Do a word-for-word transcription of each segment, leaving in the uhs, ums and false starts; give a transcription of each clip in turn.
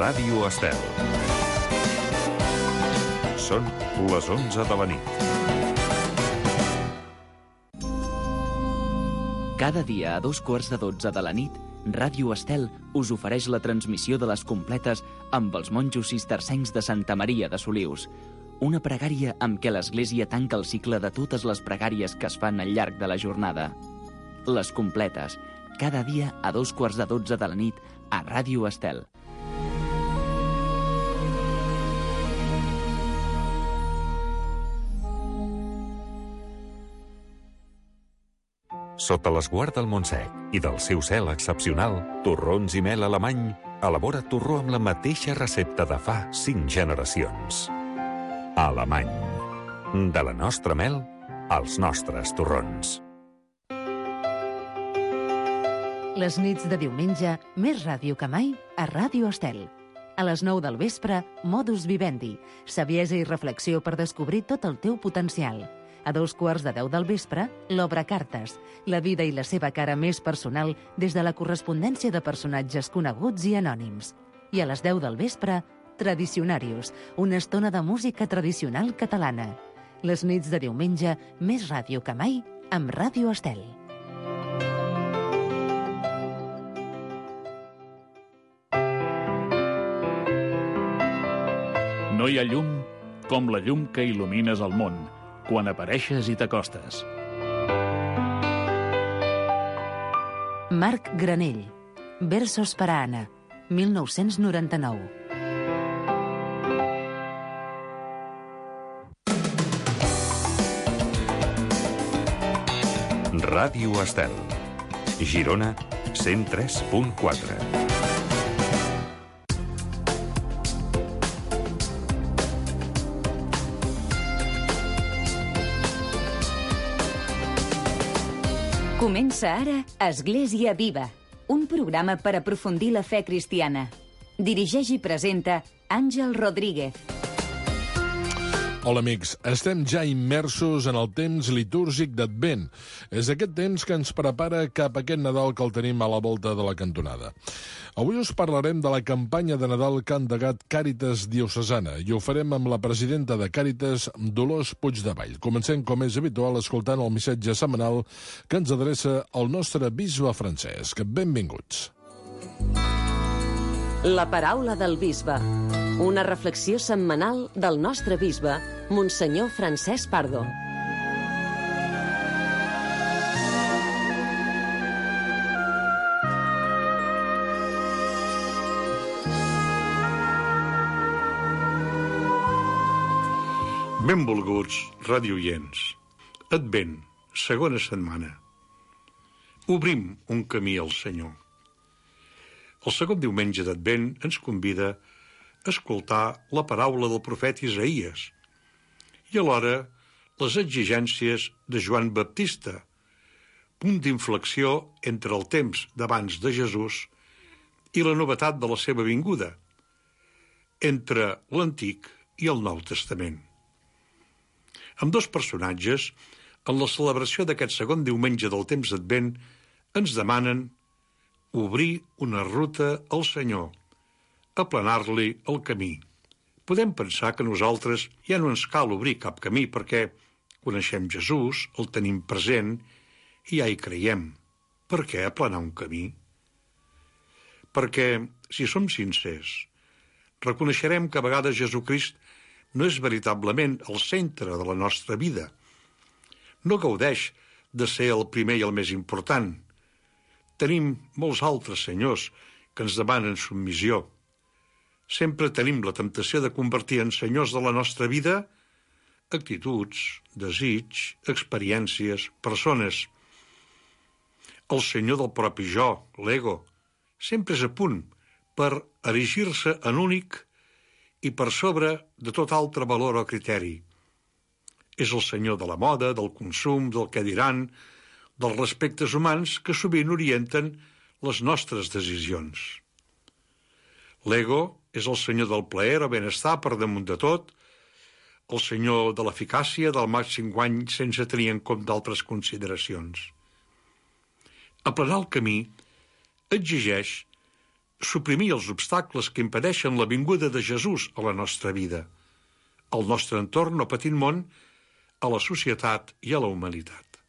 Ràdio Estel. Són les onze de la nit. Cada dia a dos quarts de dotze de la nit, Ràdio Estel us ofereix la transmissió de les completes amb els monjos cistercencs de Santa Maria de Solius. Una pregària amb què l'Església tanca el cicle de totes les pregàries que es fan al llarg de la jornada. Les completes, cada dia a dos quarts de dotze de la nit a Ràdio Estel. Sota l'esguard del Montsec i del seu cel excepcional, Torrons i Mel Alemany elabora torró amb la mateixa recepta de fa cinc generacions. Alemany. De la nostra mel als nostres torrons. Les nits de diumenge, més ràdio que mai a Ràdio Estel. A les nou del vespre, Modus Vivendi, saviesa i reflexió per descobrir tot el teu potencial. A dos quarts de deu del vespre, l'Obra Cartes, la vida i la seva cara més personal des de la correspondència de personatges coneguts i anònims. I a les deu del vespre, Tradicionarius, una estona de música tradicional catalana. Les nits de diumenge, més ràdio que mai, amb Ràdio Estel. No hi ha llum com la llum que il·lumines el món, quan apareixes i t'acostes. Marc Granell, Versos per a Anna, mil nou-cents noranta-nou. Ràdio Estel. Girona, cent tres punt quatre. Comença ara Església Viva, un programa per aprofundir la fe cristiana. Dirigeix i presenta Àngel Rodríguez. Hola, amics. Estem ja immersos en el temps litúrgic d'Advent. És aquest temps que ens prepara cap a aquest Nadal que el tenim a la volta de la cantonada. Avui us parlarem de la campanya de Nadal que ha endegat Càritas Diocesana i ho farem amb la presidenta de Càritas, Dolors Puigdevall. Comencem, com és habitual, escoltant el missatge setmanal que ens adreça el nostre bisbe Francesc. Benvinguts. La paraula del bisbe. Una reflexió setmanal del nostre bisbe, Monsenyor Francesc Pardo. Benvolguts radioients. Advent, segona setmana. Obrim un camí al Senyor. El segon diumenge d'Advent ens convida a escoltar la paraula del profeta Isaïes i alhora les exigències de Joan Baptista, punt d'inflexió entre el temps d'abans de Jesús i la novetat de la seva vinguda, entre l'Antic i el Nou Testament. Amb dos personatges, en la celebració d'aquest segon diumenge del temps d'Advent, ens demanen obrir una ruta al Senyor, aplanar-li el camí. Podem pensar que nosaltres ja no ens cal obrir cap camí perquè coneixem Jesús, el tenim present i ja hi creiem. Per què aplanar un camí? Perquè, si som sincers, reconeixerem que a vegades Jesucrist no és veritablement el centre de la nostra vida. No gaudeix de ser el primer i el més important. Tenim molts altres senyors que ens demanen submissió. Sempre tenim la temptació de convertir en senyors de la nostra vida actituds, desig, experiències, persones. El senyor del propi jo, l'ego, sempre és a punt per erigir-se en únic i per sobre de tot altre valor o criteri. És el senyor de la moda, del consum, del què diran, dels respectes humans que sovint orienten les nostres decisions. L'ego és el senyor del plaer o benestar per damunt de tot, el senyor de l'eficàcia, del màxim guany sense tenir en compte altres consideracions. Aplanar el camí exigeix suprimir els obstacles que impedeixen la vinguda de Jesús a la nostra vida, al nostre entorn o petit món, a la societat i a la humanitat.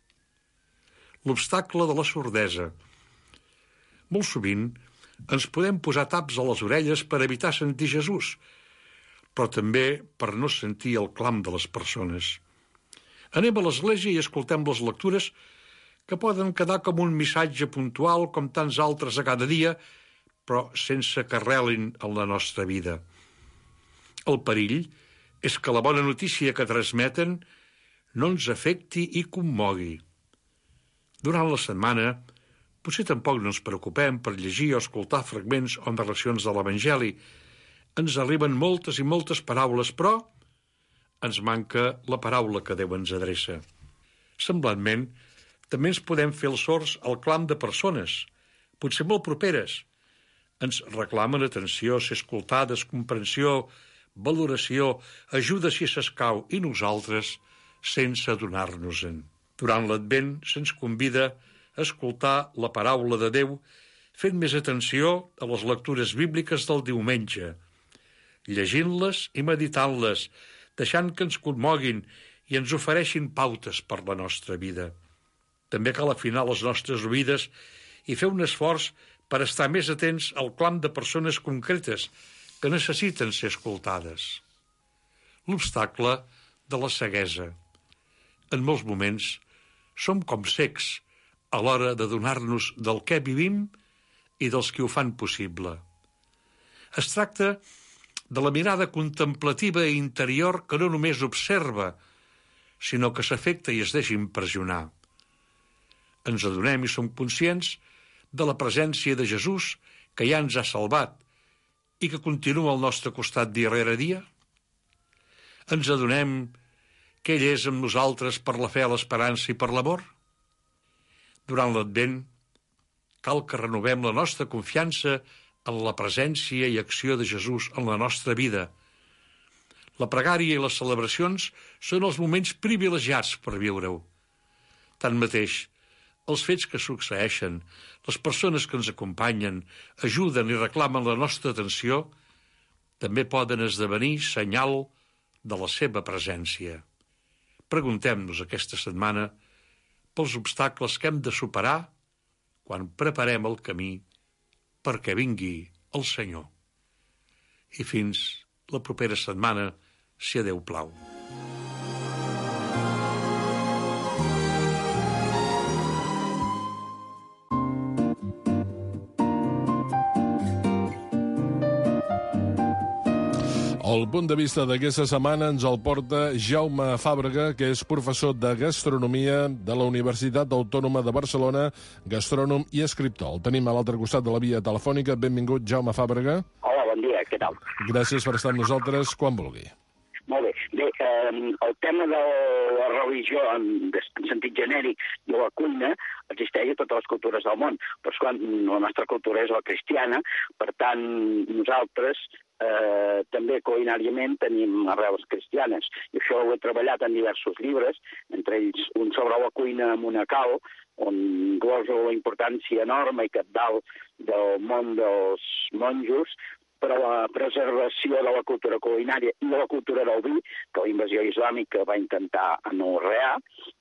L'obstacle de la sordesa. Molt sovint ens podem posar taps a les orelles per evitar sentir Jesús, però també per no sentir el clam de les persones. Anem a l'església i escoltem les lectures que poden quedar com un missatge puntual com tants altres a cada dia, però sense que arrelin en la nostra vida. El perill és que la bona notícia que transmeten no ens afecti i commogui. Durant la setmana, potser tampoc no ens preocupem per llegir o escoltar fragments o narracions de l'Evangeli. Ens arriben moltes i moltes paraules, però ens manca la paraula que Déu ens adreça. Semblantment, també ens podem fer els sords al clam de persones, potser molt properes. Ens reclamen atenció, ser escoltades, comprensió, valoració, ajuda si s'escau, i nosaltres, sense adonar-nos-en. Durant l'Advent se'ns convida a escoltar la paraula de Déu fent més atenció a les lectures bíbliques del diumenge, llegint-les i meditant-les, deixant que ens commoguin i ens ofereixin pautes per la nostra vida. També cal afinar les nostres oïdes i fer un esforç per estar més atents al clam de persones concretes que necessiten ser escoltades. L'obstacle de la ceguesa. En molts moments som com cecs a l'hora de donar-nos del què vivim i dels qui ho fan possible. Es tracta de la mirada contemplativa i interior que no només observa, sinó que s'afecta i es deixa impressionar. Ens adonem i som conscients de la presència de Jesús que ja ens ha salvat i que continua al nostre costat dia rere dia? Ens adonem que ell és amb nosaltres per la fe, l'esperança i per l'amor? Durant l'Advent cal que renovem la nostra confiança en la presència i acció de Jesús en la nostra vida. La pregària i les celebracions són els moments privilegiats per viure-ho. Tanmateix, els fets que succeeixen, les persones que ens acompanyen, ajuden i reclamen la nostra atenció, també poden esdevenir senyal de la seva presència. Preguntem-nos aquesta setmana pels obstacles que hem de superar quan preparem el camí perquè vingui el Senyor. I fins la propera setmana, si a Déu plau. El punt de vista d'aquesta setmana ens el porta Jaume Fàbrega, que és professor de Gastronomia de la Universitat Autònoma de Barcelona, gastrònom i escriptor. El tenim a l'altre costat de la via telefònica. Benvingut, Jaume Fàbrega. Hola, bon dia, què tal? Gràcies per estar amb nosaltres, quan vulgui. Molt bé. Bé, eh, el tema de la religió en, en sentit genèric i la cuina existeix a totes les cultures del món, però és quan la nostra cultura és la cristiana, per tant, nosaltres eh, també culinàriament tenim arrels cristianes, i això ho he treballat en diversos llibres, entre ells un sobre la cuina monacal, on gloso la importància enorme i cabdal del món dels monjos, per a la preservació de la cultura culinària i de la cultura del vi, que la invasió islàmica va intentar anorrear.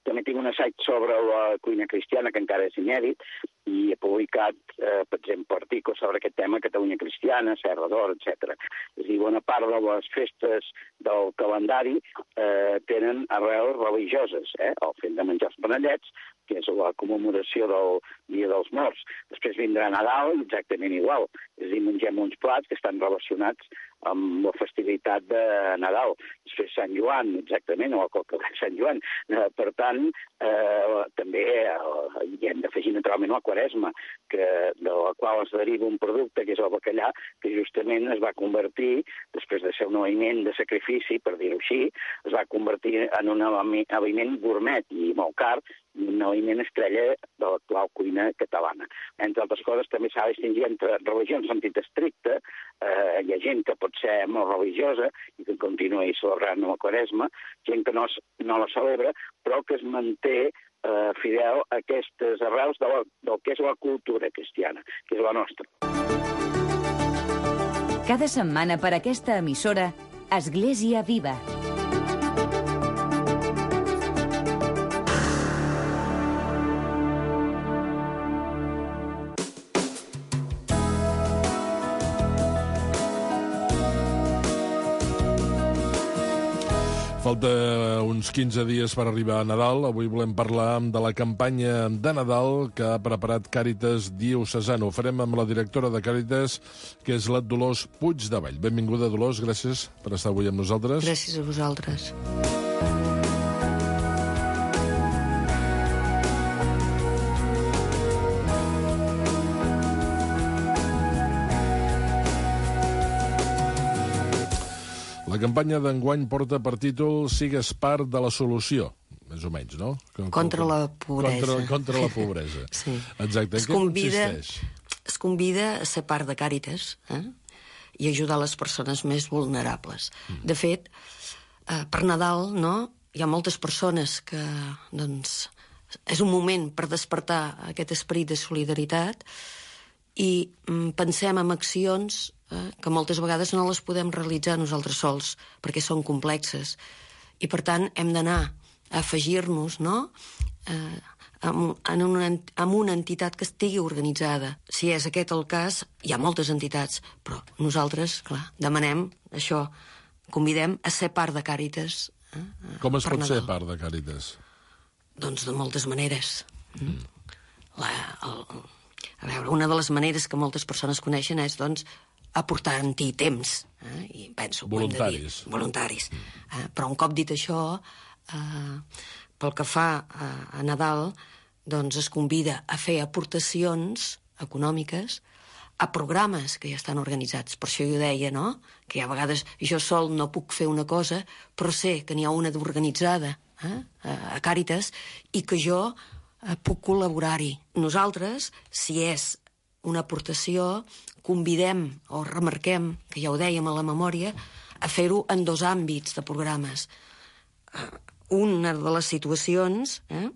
També tinc un assaig sobre la cuina cristiana, que encara és inèdit, i he publicat, eh, per exemple, articles sobre aquest tema, Catalunya cristiana, Serra d'Or, etcètera. És a dir, bona part de les festes del calendari eh, tenen arrels religioses, eh? El fet de menjar els panellets, que és la commemoració del Dia dels Morts. Després vindrà Nadal, exactament igual. És a dir, mengem uns plats que estan relacionats amb la festivitat de Nadal. Després Sant Joan, exactament, o el coca de Sant Joan. Eh, per tant, eh, també eh, hi hem d'afegir naturalment la Quaresma, que, de la qual es deriva un producte, que és el bacallà, que justament es va convertir, després de ser un aliment de sacrifici, per dir-ho així, es va convertir en un aliment gourmet i molt car, un aliment estrella de l'actual cuina catalana. Entre altres coses, també s'ha de distingir entre religió en sentit estricte. Eh, hi ha gent que pot ser molt religiosa i que continua celebrant la Quaresma, gent que no, no la celebra, però que es manté eh, fidel a aquestes arrels de la, del que és la cultura cristiana, que és la nostra. Cada setmana per aquesta emissora, Església Viva. Falta uns quinze dies per arribar a Nadal. Avui volem parlar de la campanya de Nadal que ha preparat Càritas Diocesana. Ho farem amb la directora de Càritas, que és la Dolors Puigdevall. Benvinguda, Dolors, gràcies per estar avui amb nosaltres. Gràcies a vosaltres. La campanya d'enguany porta per títol Sigues part de la solució, més o menys, no? Contra la pobresa. Contra, contra la pobresa. Sí. Exacte. En què convida, consisteix? Es convida a ser part de Càritas, eh? I ajudar les persones més vulnerables. Mm. De fet, eh, per Nadal, no?, hi ha moltes persones que, doncs, és un moment per despertar aquest esperit de solidaritat i mm, pensem en accions eh, que moltes vegades no les podem realitzar nosaltres sols, perquè són complexes. I, per tant, hem d'anar a afegir-nos, no?, eh, amb, en una, amb una entitat que estigui organitzada. Si és aquest el cas, hi ha moltes entitats, però nosaltres, clar, demanem això, convidem a ser part de Càritas. Eh, Com es pot Nadal. ser part de Càritas? Doncs de moltes maneres. Mm. La, el, a veure, una de les maneres que moltes persones coneixen és, doncs, aportant-hi temps. Eh? I penso, voluntaris. Dir, voluntaris. Eh? Però un cop dit això, eh, pel que fa a, a Nadal, doncs es convida a fer aportacions econòmiques a programes que ja estan organitzats. Per això jo deia, no?, que a vegades jo sol no puc fer una cosa, però sé que n'hi ha una d'organitzada eh, a Càritas i que jo eh, puc col·laborar-hi. Nosaltres, si és una aportació, convidem o remarquem, que ja ho dèiem a la memòria, a fer-ho en dos àmbits de programes. Eh, una de les situacions eh,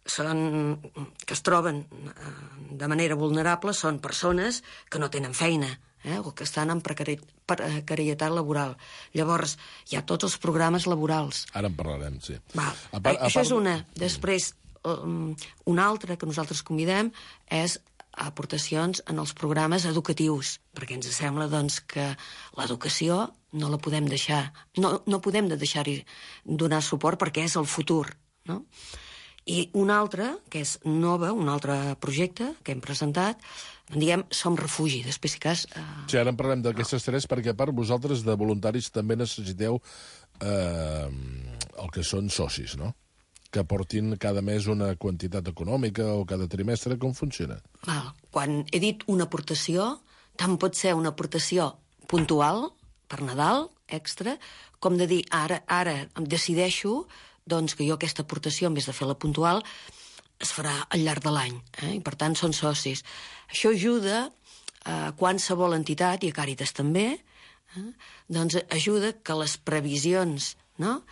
són, que es troben eh, de manera vulnerable són persones que no tenen feina eh, o que estan en precari precarietat laboral. Llavors, hi ha tots els programes laborals. Ara en parlarem, sí. Val. A part, a Això part... és una. Després, um, una altra que nosaltres convidem és aportacions en els programes educatius, perquè ens sembla doncs, que l'educació no la podem deixar, no, no podem de deixar-hi donar suport perquè és el futur, no? I una altra, que és nova, un altre projecte que hem presentat, diguem, Som Refugi. Després, si cas... Eh... Sí, ara en parlem d'aquestes tres, perquè a part vosaltres de voluntaris també necessiteu eh, el que són socis, no?, que aportin cada mes una quantitat econòmica o cada trimestre. Com funciona? Val. Quan he dit una aportació, tant pot ser una aportació puntual, per Nadal, extra, com de dir, ara, ara em decideixo doncs, que jo aquesta aportació, en vez de fer-la puntual, es farà al llarg de l'any. Eh? I, per tant, són socis. Això ajuda a qualsevol entitat, i a Càritas també, eh? doncs ajuda que les previsions, no?,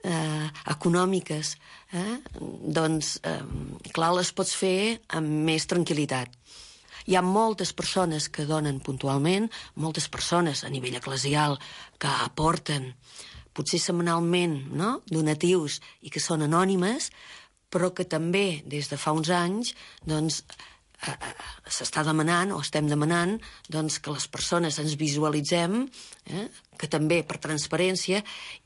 Eh, econòmiques, eh, doncs, eh, clar, les pots fer amb més tranquil·litat. Hi ha moltes persones que donen puntualment, moltes persones a nivell eclesial que aporten, potser setmanalment, no?, donatius i que són anònimes, però que també, des de fa uns anys, doncs, eh, eh, s'està demanant, o estem demanant, doncs, que les persones ens visualitzem, eh, que també per transparència,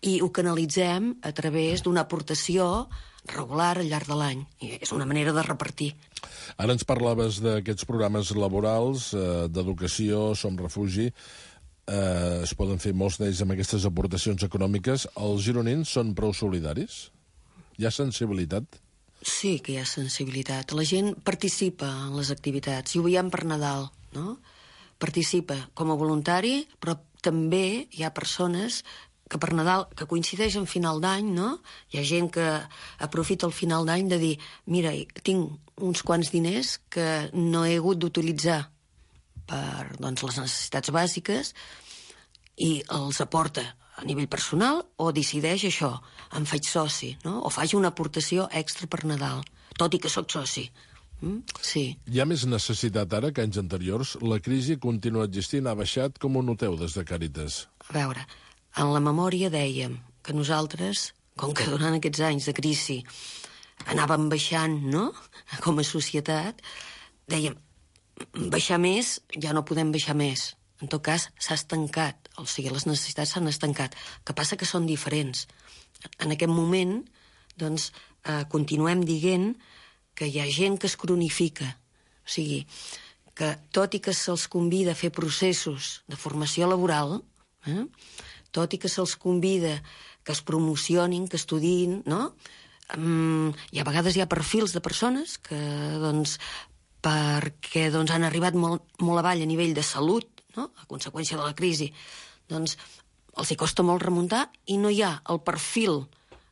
i ho canalitzem a través d'una aportació regular al llarg de l'any. I és una manera de repartir. Ara ens parlaves d'aquests programes laborals, eh, d'educació, Som Refugi. Eh, es poden fer molts d'ells amb aquestes aportacions econòmiques. Els gironins són prou solidaris? Hi ha sensibilitat? Sí que hi ha sensibilitat. La gent participa en les activitats. I ho veiem per Nadal, no? Participa com a voluntari, però també hi ha persones que per Nadal, que coincideix en final d'any, no? Hi ha gent que aprofita el final d'any de dir, mira, tinc uns quants diners que no he hagut d'utilitzar per, doncs, les necessitats bàsiques i els aporta a nivell personal o decideix això, em faig soci, no? O faig una aportació extra per Nadal, tot i que sóc soci. Mm? Sí. Hi ha més necessitat ara que anys anteriors? La crisi continua existint, ha baixat? Com ho noteu des de Càritas? A veure, en la memòria dèiem que nosaltres, com que durant aquests anys de crisi anàvem baixant, no?, com a societat, dèiem, baixar més, ja no podem baixar més. En tot cas, s'ha estancat, o sigui, les necessitats s'han estancat. El que passa que són diferents. En aquest moment, doncs, eh, continuem dient que hi ha gent que es cronifica. O sigui, que tot i que se'ls convida a fer processos de formació laboral, eh, tot i que se'ls convida que es promocionin, que estudiïn, no?, um, i a vegades hi ha perfils de persones que, doncs, perquè doncs, han arribat molt, molt avall a nivell de salut, no?, a conseqüència de la crisi, doncs els hi costa molt remuntar i no hi ha el perfil,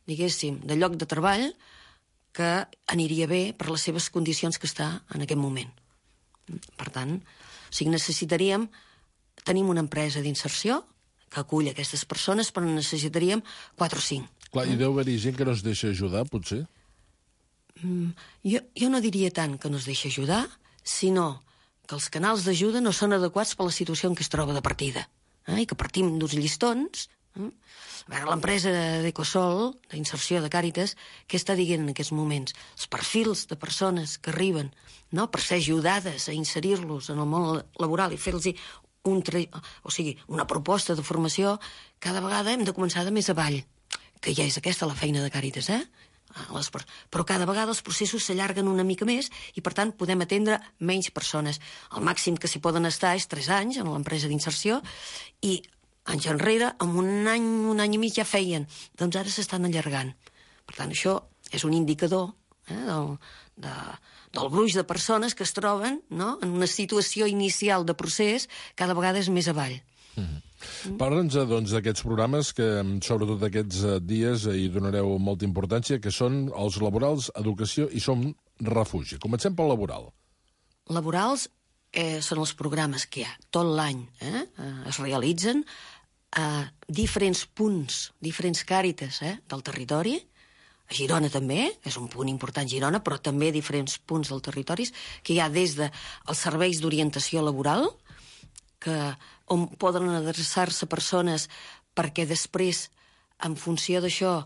diguéssim, de lloc de treball que aniria bé per les seves condicions que està en aquest moment. Per tant, o sigui, necessitaríem... Tenim una empresa d'inserció que acull aquestes persones, però necessitaríem quatre o cinc. Clar, i deu haver-hi gent que no es deixa ajudar, potser? Mm, jo, jo no diria tant que no es deixa ajudar, sinó que els canals d'ajuda no són adequats per la situació en què es troba de partida, eh? I que partim d'uns llistons. Eh? A veure, l'empresa d'Ecosol, d'inserció de Càritas, què està dient en aquests moments? Els perfils de persones que arriben, no?, per ser ajudades a inserir-los en el món laboral i fer-los un tra... o sigui, una proposta de formació, cada vegada hem de començar de més avall, que ja és aquesta la feina de Càritas, eh? Les... Però cada vegada els processos s'allarguen una mica més i, per tant, podem atendre menys persones. El màxim que s'hi poden estar és tres anys en l'empresa d'inserció i anys enrere, en un any, un any i mig ja feien. Doncs ara s'estan allargant. Per tant, això és un indicador eh, del, de, del gruix de persones que es troben, no?, en una situació inicial de procés cada vegada és més avall. Mm-hmm. Parla'ns, doncs, d'aquests programes que, sobretot aquests dies, hi donareu molta importància, que són els laborals, educació i som refugi. Comencem pel laboral. Laborals eh, són els programes que hi ha tot l'any, eh? Es realitzen a diferents punts, diferents Càritas eh, del territori. A Girona també, és un punt important Girona, però també a diferents punts del territori, que hi ha des dels serveis d'orientació laboral, que, on poden adreçar-se persones perquè després, en funció d'això,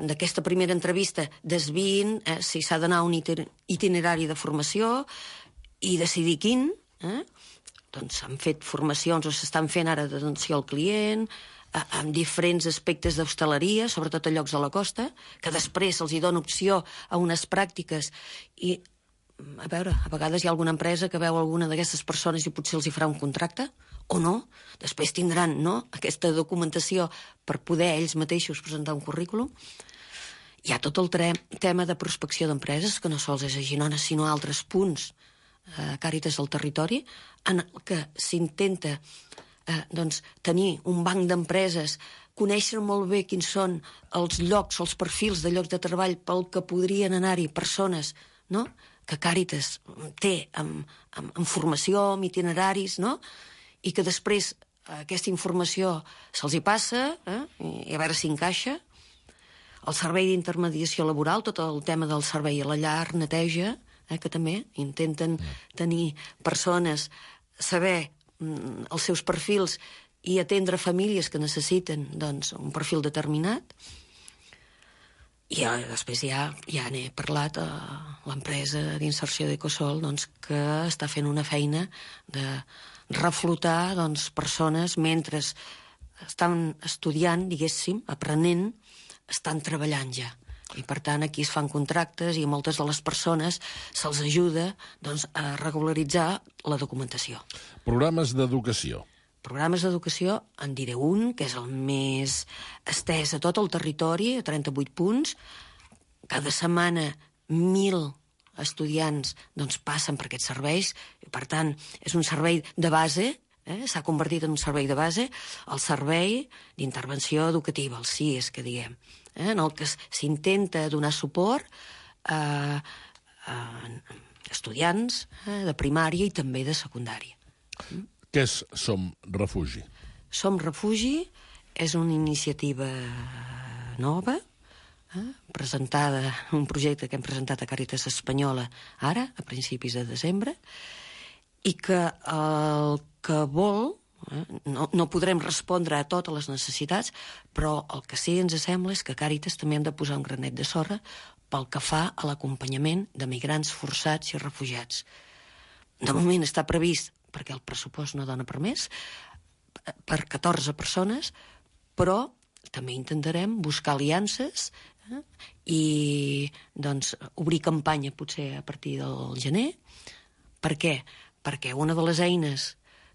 d'aquesta primera entrevista, desviïn eh, si s'ha d'anar a un itinerari de formació i decidir quin. Eh? Doncs s'han fet formacions o s'estan fent ara d'atenció al client, eh, amb diferents aspectes d'hostaleria, sobretot a llocs de la costa, que després se'ls hi dona opció a unes pràctiques i a veure, a vegades hi ha alguna empresa que veu alguna d'aquestes persones i potser els hi farà un contracte, o no. Després tindran no, aquesta documentació per poder ells mateixos presentar un currículum. Hi ha tot el tema de prospecció d'empreses, que no sols és a Girona, sinó a altres punts, eh, Càritas del territori, en què s'intenta eh, doncs, tenir un banc d'empreses, conèixer molt bé quins són els llocs, els perfils de llocs de treball pel que podrien anar-hi persones, no?, que Càritas té amb, amb, amb formació, amb itineraris, no?, i que després aquesta informació se'ls hi passa eh? i a veure si encaixa. El servei d'intermediació laboral, tot el tema del servei a la llar, neteja, eh? que també intenten tenir persones, saber mm, els seus perfils i atendre famílies que necessiten doncs, un perfil determinat. I ja, després ja, ja n'he parlat a l'empresa d'inserció d'Ecosol doncs, que està fent una feina de reflotar doncs, persones mentre estan estudiant, diguéssim, aprenent, estan treballant ja. I per tant aquí es fan contractes i a moltes de les persones se'ls ajuda doncs, a regularitzar la documentació. Programes d'educació. Programes d'educació, en diré un, que és el més estès a tot el territori, a trenta-vuit punts. Cada setmana mil estudiants doncs, passen per aquests serveis. Per tant, és un servei de base, eh? s'ha convertit en un servei de base, el servei d'intervenció educativa, el C I E S, que diguem, eh? en el que s'intenta donar suport a, a estudiants eh? de primària i també de secundària. Mm? Què és Som Refugi? Som Refugi és una iniciativa nova, eh, presentada, un projecte que hem presentat a Càritas Espanyola ara, a principis de desembre, i que el que vol, eh, no, no podrem respondre a totes les necessitats, però el que sí ens sembla és que Càritas també hem de posar un granet de sorra pel que fa a l'acompanyament de migrants forçats i refugiats. De moment està previst, perquè el pressupost no dona per més, per catorze persones, però també intentarem buscar aliances eh, i doncs, obrir campanya potser a partir del gener. Per què? Perquè una de les eines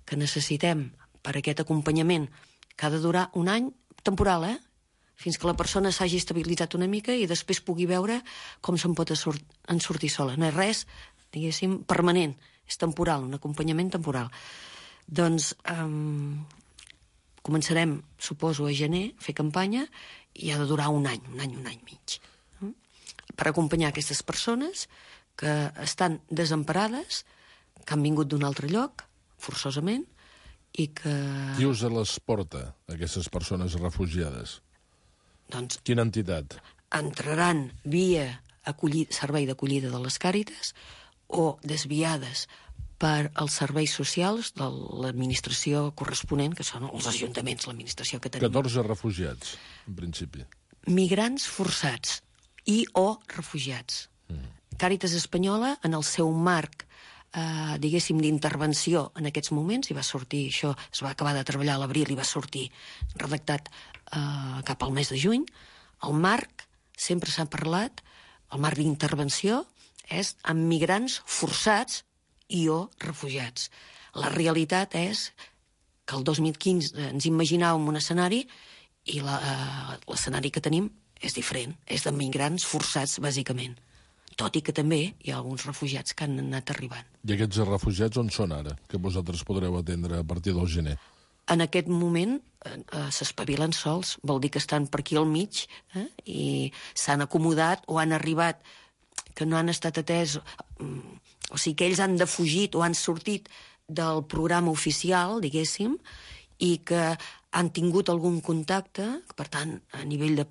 que necessitem per a aquest acompanyament, que ha de durar un any temporal, eh? fins que la persona s'hagi estabilitzat una mica i després pugui veure com se'n pot en sortir sola. No és res, diguéssim, permanent, és temporal, un acompanyament temporal. Doncs um, començarem, suposo, a gener, a fer campanya, i ha de durar un any, un any, un any mig, eh? per acompanyar aquestes persones que estan desemparades, que han vingut d'un altre lloc, forçosament, i que... Qui us les porta, aquestes persones refugiades? Doncs... Quina entitat? Entraran via acollir, servei d'acollida de les Càritas o desviades per als serveis socials de l'administració corresponent, que són els ajuntaments, l'administració que tenim. catorze refugiats, en principi. Migrants forçats i o refugiats. Mm. Càritas Espanyola, en el seu marc, eh, diguéssim, d'intervenció en aquests moments, i va sortir, això es va acabar de treballar a l'abril i va sortir redactat eh, cap al mes de juny, el marc, sempre s'ha parlat, el marc d'intervenció és amb migrants forçats i o refugiats. La realitat és que el dos mil quinze ens imaginàvem un escenari i l'escenari que tenim és diferent, és de migrants forçats, bàsicament. Tot i que també hi ha alguns refugiats que han anat arribant. I aquests refugiats on són ara, que vosaltres podreu atendre a partir del gener? En aquest moment eh, s'espavilen sols, vol dir que estan per aquí al mig eh, i s'han acomodat o han arribat, que no han estat atès, o sigui que ells han defugit o han sortit del programa oficial, diguéssim, i que han tingut algun contacte, per tant, a nivell de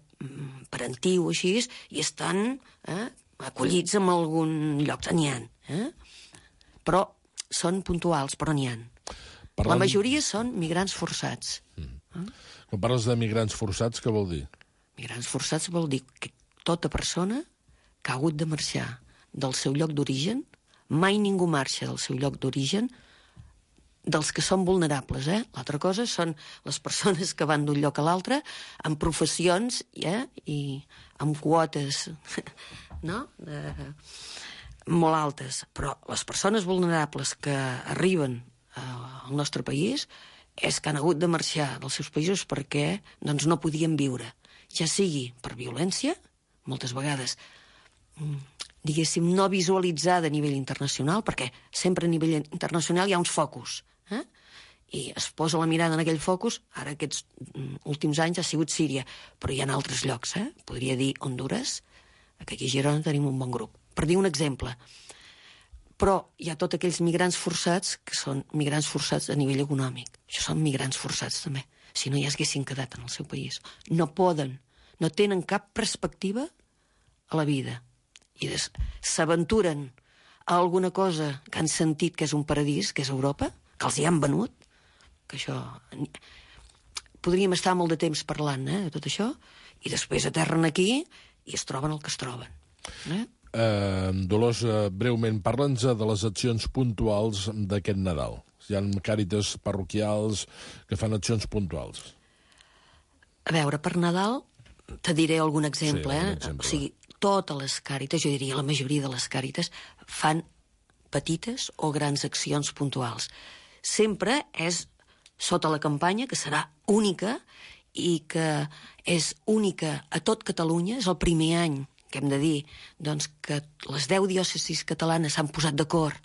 parentiu o així, i estan eh, acollits en algun lloc, n'hi ha. Eh? Però són puntuals, però n'hi ha. Parlant... La majoria són migrants forçats. Mm. Eh? Quan parles de migrants forçats, què vol dir? Migrants forçats vol dir que tota persona que ha hagut de marxar del seu lloc d'origen, mai ningú marxa del seu lloc d'origen, dels que són vulnerables, eh? L'altra cosa són les persones que van d'un lloc a l'altre amb professions eh? i amb quotes no? de... molt altes. Però les persones vulnerables que arriben eh, al nostre país és que han hagut de marxar dels seus països perquè doncs, no podien viure, ja sigui per violència, moltes vegades diguéssim, no visualitzada a nivell internacional, perquè sempre a nivell internacional hi ha uns focus, eh? i es posa la mirada en aquell focus, ara aquests últims anys ha sigut Síria, però hi ha altres llocs, eh? Podria dir Honduras, que aquí a Girona tenim un bon grup, per dir un exemple. Però hi ha tots aquells migrants forçats que són migrants forçats a nivell econòmic. Això són migrants forçats també, si no ja s'haguessin quedat en el seu país. No poden, no tenen cap perspectiva a la vida. I s'aventuren a alguna cosa que han sentit que és un paradís, que és Europa, que els hi han venut, que això... Podríem estar molt de temps parlant eh, de tot això, i després aterren aquí i es troben el que es troben. Eh? Uh, Dolors, uh, breument, parla'ns de les accions puntuals d'aquest Nadal. Hi ha càritas parroquials que fan accions puntuals. A veure, per Nadal te diré algun exemple. Sí, algun eh? exemple. O sigui, totes les càritas, jo diria la majoria de les càritas, fan petites o grans accions puntuals. Sempre és sota la campanya, que serà única i que és única a tot Catalunya, és el primer any que hem de dir doncs, que les deu diòcesis catalanes s'han posat d'acord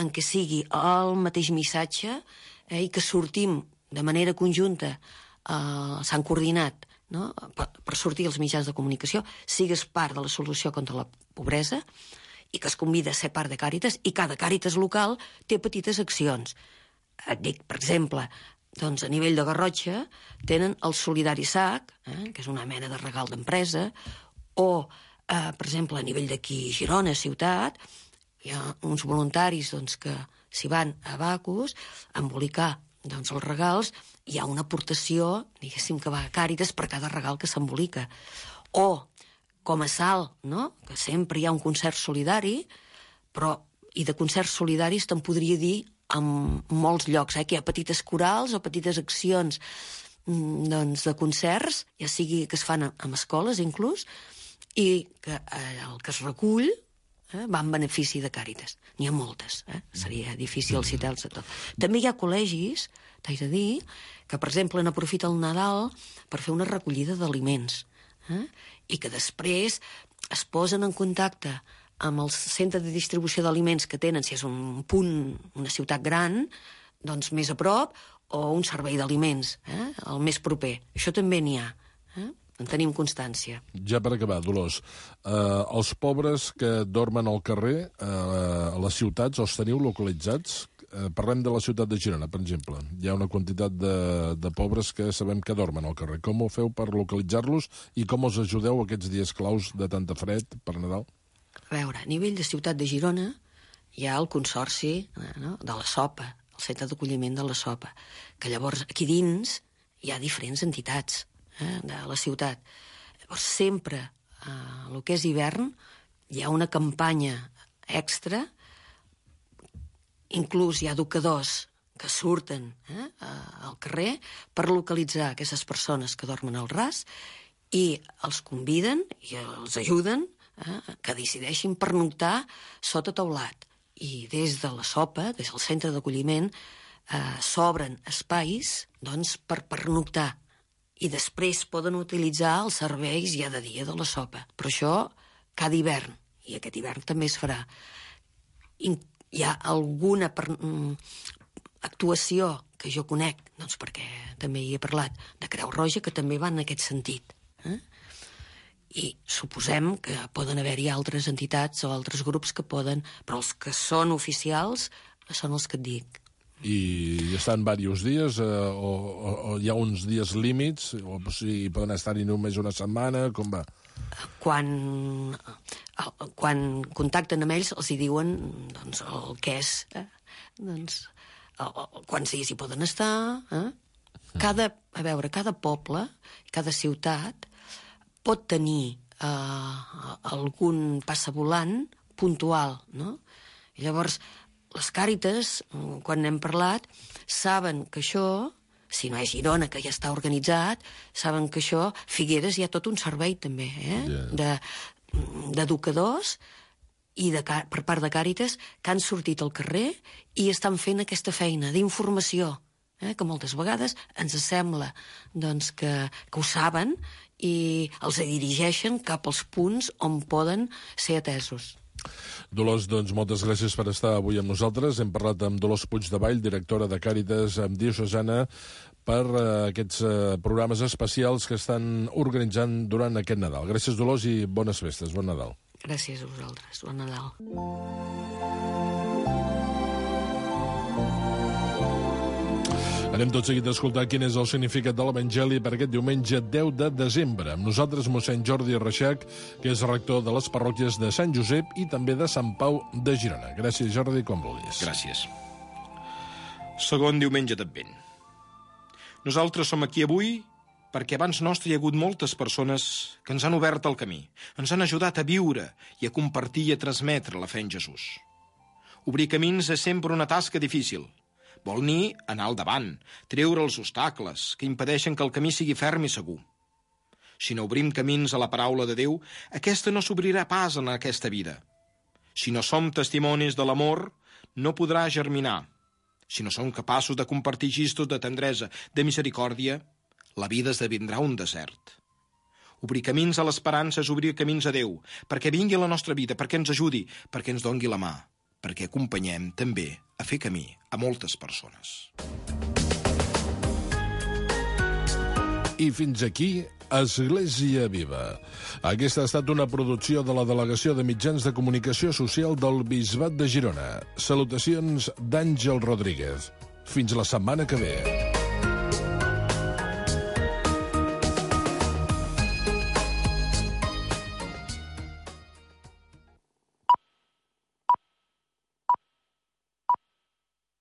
en què sigui el mateix missatge eh, i que sortim de manera conjunta, eh, s'han coordinat no? per, per sortir als mitjans de comunicació, sigues part de la solució contra la pobresa i que es convida a ser part de Càritas, i cada Càritas local té petites accions. Et dic, per exemple, doncs a nivell de Garrotxa tenen el Solidari Sac, eh, que és una mena de regal d'empresa, O, eh, per exemple, a nivell d'aquí Girona, ciutat, hi ha uns voluntaris doncs, que s'hi van a Bacus a embolicar doncs, els regals, hi ha una aportació, diguéssim, que va a Càritas per cada regal que s'embolica. O, com a Salt, no? Que sempre hi ha un concert solidari, però, i de concerts solidaris te'n podria dir en molts llocs, eh? Que hi ha petites corals o petites accions doncs, de concerts, ja sigui que es fan en escoles inclús, i que eh, el que es recull eh, va en benefici de Càritas. N'hi ha moltes, eh? Seria difícil citar-los a tot. També hi ha col·legis, t'haig de dir, que, per exemple, n'aprofita el Nadal per fer una recollida d'aliments, eh? I que després es posen en contacte amb el centre de distribució d'aliments que tenen, si és un punt, una ciutat gran, doncs més a prop, o un servei d'aliments, eh? El més proper. Això també n'hi ha. Eh? En tenim constància. Ja per acabar, Dolors, eh, els pobres que dormen al carrer, eh, a les ciutats, els teniu localitzats? Eh, parlem de la ciutat de Girona, per exemple. Hi ha una quantitat de, de pobres que sabem que dormen al carrer. Com ho feu per localitzar-los i com els ajudeu aquests dies claus de tanta fred per Nadal? A veure, a nivell de ciutat de Girona hi ha el consorci eh, no? de la Sopa, el centre d'acolliment de la Sopa, que llavors aquí dins hi ha diferents entitats eh, de la ciutat. Llavors sempre, eh, el que és hivern, hi ha una campanya extra, inclús hi ha educadors que surten eh, al carrer per localitzar aquestes persones que dormen al ras i els conviden i els ajuden eh, que decideixin pernoctar sota teulat. I des de la Sopa, des del centre d'acolliment, eh, s'obren espais doncs, per pernoctar i després poden utilitzar els serveis ja de dia de la Sopa. Però això cada hivern, i aquest hivern també es farà. I hi ha alguna per, mm, actuació que jo conec, doncs perquè també hi he parlat, de Creu Roja, que també va en aquest sentit. Eh? I suposem que poden haver-hi altres entitats o altres grups que poden, però els que són oficials són els que et dic. I estan diversos dies eh, o, o, o hi ha uns dies límits o si poden estar-hi només una setmana, com va? Quan, quan contacten amb ells els hi diuen doncs, el que és eh? doncs, el, el, quants dies hi poden estar eh? cada, a veure, cada poble cada ciutat pot tenir eh, algun passavolant puntual, no? I llavors, les Càritas, quan n'hem parlat, saben que això, si no és Girona, que ja està organitzat, saben que això, Figueres hi ha tot un servei també, eh? Yeah. d'educadors i de, per part de Càritas que han sortit al carrer i estan fent aquesta feina d'informació, eh? Que moltes vegades ens sembla doncs, que, que ho saben i els dirigeixen cap als punts on poden ser atesos. Dolors, doncs moltes gràcies per estar avui amb nosaltres. Hem parlat amb Dolors Puigdevall, directora de Càritas Diocesana, per uh, aquests uh, programes especials que estan organitzant durant aquest Nadal. Gràcies, Dolors, i bones festes. Bon Nadal. Gràcies a vosaltres. Bon Nadal. Anem tot seguit a escoltar quin és el significat de l'Evangeli per aquest diumenge deu de desembre. Amb nosaltres mossèn Jordi Reixac, que és rector de les parròquies de Sant Josep i també de Sant Pau de Girona. Gràcies, Jordi, com vulguis. Gràcies. Segon diumenge d'Advent. Nosaltres som aquí avui perquè abans nostre hi ha hagut moltes persones que ens han obert el camí, ens han ajudat a viure i a compartir i a transmetre la fe en Jesús. Obrir camins és sempre una tasca difícil. Vol dir anar al davant, treure els obstacles que impedeixen que el camí sigui ferm i segur. Si no obrim camins a la paraula de Déu, aquesta no s'obrirà pas en aquesta vida. Si no som testimonis de l'amor, no podrà germinar. Si no som capaços de compartir gestos de tendresa, de misericòrdia, la vida esdevindrà un desert. Obrir camins a l'esperança és obrir camins a Déu, perquè vingui a la nostra vida, perquè ens ajudi, perquè ens dongui la mà, perquè acompanyem també a fer camí a moltes persones. I fins aquí, Església Viva. Aquesta ha estat una producció de la Delegació de Mitjans de Comunicació Social del Bisbat de Girona. Salutacions d'Àngel Rodríguez. Fins la setmana que ve.